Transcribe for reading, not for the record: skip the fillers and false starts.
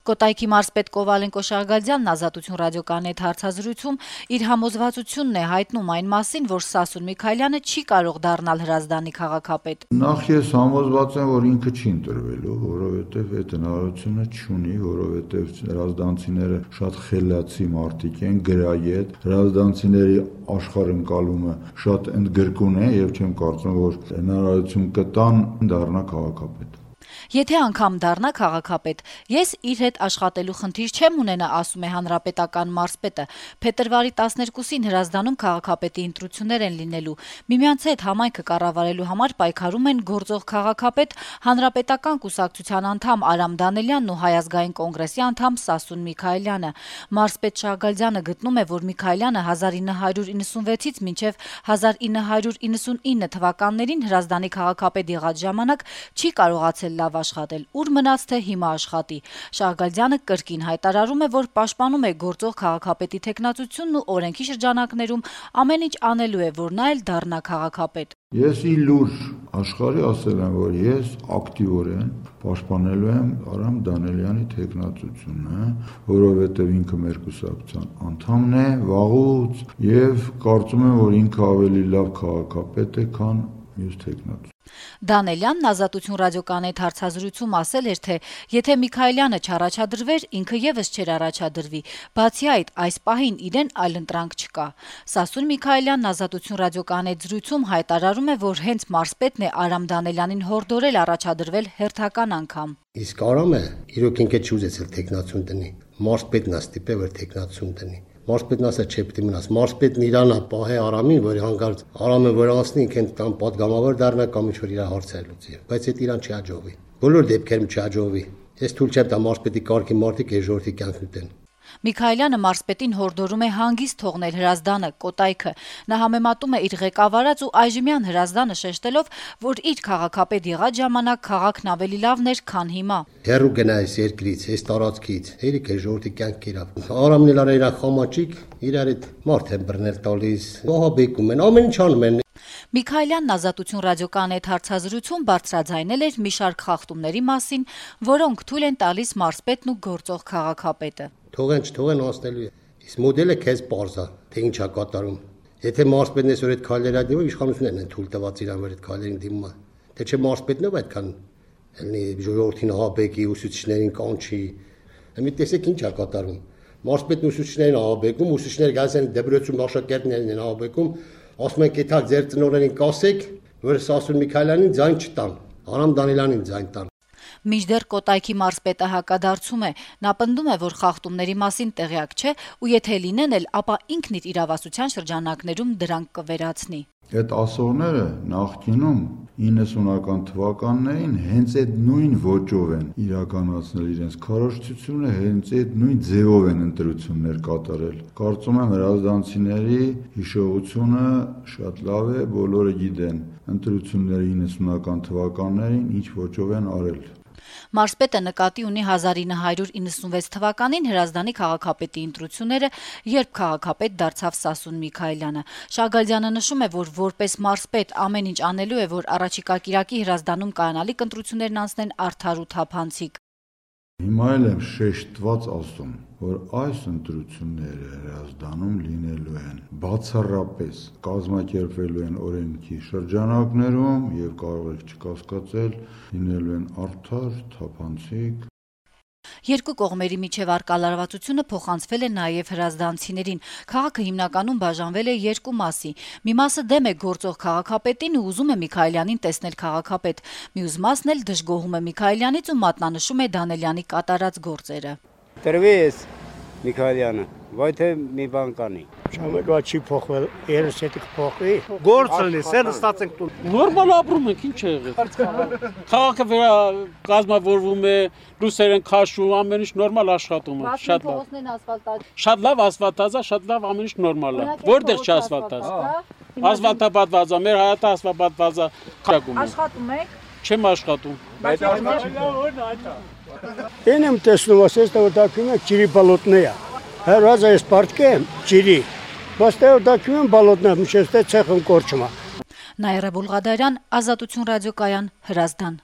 Կոտայքի մարզպետ Կովալենկո Շահգալդյանն Ազատություն ռադիոկայանի հետ հարցազրույցում իր համոզվածությունն է հայտնում այն մասին, որ Սասուն Միքայելյանը չի կարող դառնալ Հրազդանի քաղաքապետ։ Նախ ես համոզված եմ, որ ինքը չի ընտրվելու, որովհետև այդ հնարավորությունը չունի, որովհետև հրազդանցիները շատ խելացի մարդիկ են, գրագետ, հրազդանցիների աշխարհընկալումը շատ ընդգրկուն է եւ չեմ կարծում, որ հնարավորություն կտան դառնա քաղաքապետ։ Եթե անգամ դառնա քաղաքապետ, ես իր հետ աշխատելու խնդիր չեմ ունենա, ասում է հանրապետական մարզպետը։ Փետրվարի 12-ին Հրազդանում քաղաքապետի ընտրություններ են լինելու։ Միմյանց հետ համայնքը կառավարելու համար պայքարում են գործող քաղաքապետ, հանրապետական կուսակցության անդամ Արամ Դանելյանն ու Հայ ազգային կոնգրեսի անդամ Սասուն Միքայելյանը։ Մարզպետ Շահգալդյանը գտնում է, որ Միքայելյանը 1996-ից մինչև 1999 թվականներին Հրազդանի քաղաքապետ եղած ժամանակ չի կարողացել լավ աշխատել, ուր մնաց թե հիմա աշխատի։ Շահգալդյանը կրկին հայտարարում է, որ պաշտպանում է գործող քաղաքապետի թեկնածությունն ու օրենքի շրջանակներում ամեն ինչ անելու է, որ նա էլ դառնա քաղաքապետ։ Ես ի լուր աշխարհի ասել եմ, որ ես ակտիվորեն պաշտպանելու եմ Արամ Դանելյանի թեկնածությունը, որովհետև ինքը մեր կուսակցության անդամն է վաղուց եւ կարծում եմ, որ ինքը ավելի լավ քաղաքապետ է, քան մյուս թեկնածու։ Դանելյանն Ազատություն ռադիոկայանի հետ հարցազրույցում ասել էր, թե եթե Միքայելյանը չառաջադրվեր, ինքը եւս չէր առաջադրվի։ Բացի այդ, այս պահին իրեն այլընտրանք չկա։ Սասուն Միքայելյանն Ազատություն ռադիոկայանի հետ զրույցում հայտարարում է, որ հենց մարզպետն է Արամ Դանելյանին հորդորել առաջադրվել հերթական անգամ։ Իսկ Արամը իրոք ինքը չուզեցել թեկնածուն տնի։ Մարզպետն է ստիպել, որ թեկնածուն տնի։ Մարզպետն ասա չէ պիտի մնաս։ Մարզպետն իրանա պահե Արամին, որ հանգարց Արամը որ անցնի, ինքն տան պատգամավոր դառնա կամ ինչ որ իր հարցեր լուծի։ Բայց այդ իրան չի հաջողվի։ Բոլոր դեպքերում չի հաջողվի։ Ես թույլ չեմ տա մարզպետի կարգի մարդիկ այս ժողովրդի կյանքն ուտեն։ Միքայելյանը մարզպետին հորդորում է հանգիստ թողնել Հրազդանը, Կոտայքը։ Նա համեմատում է իր ղեկավարած ու այժմյան Հրազդանը շեշտելով, որ իր քաղաքապետ եղած ժամանակ քաղաքն ավելի լավն էր, քան հիմա։ Հերու գնա այս երկրից, այս տարածքից, երիք է ժողովրդի կյանք իրավ։ Արամն էլ արա իր խամաճիկ, իրար այդ մարդ են բռնել տալիս, ահաբեկում են, ամեն ինչ անում են։ Միքայելյանն Ազատություն ռադիոկայանի հետ հարցազրույցում բարձրաձայնել էր մի շարք խախտումների մասին, որոնք թույլ են տալիս մարզպետն ու գործող քաղաքապետը։ Թողեն չթողեն անցնելու է։ Իսկ մոդելը քեզ པարզ է, թե ինչ է կատարում։ Եթե մարզպետն այսօր այդ քայլերը դիմում, իշխանություններն են թույլ տված իրան որ այդ քայլերին դիմում է։ Թե չէ մարզպետն ով այդքան ելնի ժողովրդին ահաբեկի, ուսուցիչներին կանչի։ Մի տեսեք ինչ է կատարում։ Մարզպետն ուսուցիչներին ահաբեկում, ուսուցիչները գալիս են դպրոցում աշակերտներին են ահաբեկում, ասում են կեթա ձեր ծնողներին կասեք, որ Սասուն Միքայելյանին ձայն չտան, Արամ Դանելյանին ձայն տան։ Մինչդեռ Կոտայքի մարզպետը հակադարձում է։ Նա պնդում է, որ խախտումների մասին տեղյակ չէ ու եթե լինեն էլ, ապա ինքն իր իրավասության շրջանակներում դրանք կվերացնի։ Այդ ասողները նախկինում 90-ական թվականներին հենց այդ նույն ոճով են իրականացնել իրենց քարոզչությունը, հենց այդ նույն ձևով են ընտրություններ կատարել։ Կարծում եմ հրազդանցիների հիշողությունը շատ լավ է, բոլորը գիտեն ընտրությունները 90-ական թվականներին ինչ ոճով են արել։ Մարզպետը նկատի ունի 1996 թվականին Հրազդանի քաղաքապետի ընտրությունները, երբ քաղաքապետ դարձավ Սասուն Միքայելյանը։ Շահգալդյանը նշում է, որ որպես մարզպետ ամեն ինչ անելու է, որ առաջիկա կիրակի Հրազդանում կայանալիք ընտրություններն անցնեն արդար ու թափանցիկ։ Հիմա էլ եմ շեշտված ասում, որ այս ընտրությունները Հրազդանում լինելու են բացառապես կազմակերպվելու են օրենքի շրջանակներում եւ կարող եք չկասկածել լինելու են արդար, թափանցիկ։ Երկու կողմերի միջև առկա լարվածությունը փոխանցվել է նաև հրազդանցիներին։ Քաղաքը հիմնականում բաժանվել է երկու մասի։ Մի մասը դեմ է գործող քաղաքապետին ու ուզում է Միքայելյանին տեսնել քաղաքապետ։ Մյուս մասն էլ դժգոհում է Միքայելյանից ու մատնանշում է Դանելյանի կատարած գործերը։ Տրվեց Միքայելյանը, վայ թե մի բան կանի։ Ժամանակա չի փոխվել, երես հետ կփոխվի։ Գործն է, սեն ստացենք տուն։ Նորմալ ապրում ենք, ինչ է եղել։ Քաղաքը կազմավորվում է, լույսեր են քաշում, ամեն ինչ նորմալ աշխատում է, շատ լավ։ Շատ լավ ասֆալտած է, շատ լավ ամեն ինչ նորմալ է։ Որտեղ չի ասֆալտած։ Ասֆալտապատված է, մեր հայատը ասֆալտապատված է։ Աշխատում եք։ Չեմ աշխատում։ Én եմ տեսնում, ասես թե դակում եք ջրի բալոտն է։ Հրազը ես պարտք եմ ջրի։ Բայց թե դակում եմ բալոտն է, միշտ է ցեխն կորչում է։ Նաիրա Բուլղադարյան, Ազատություն ռադիոկայան, Հրազդան։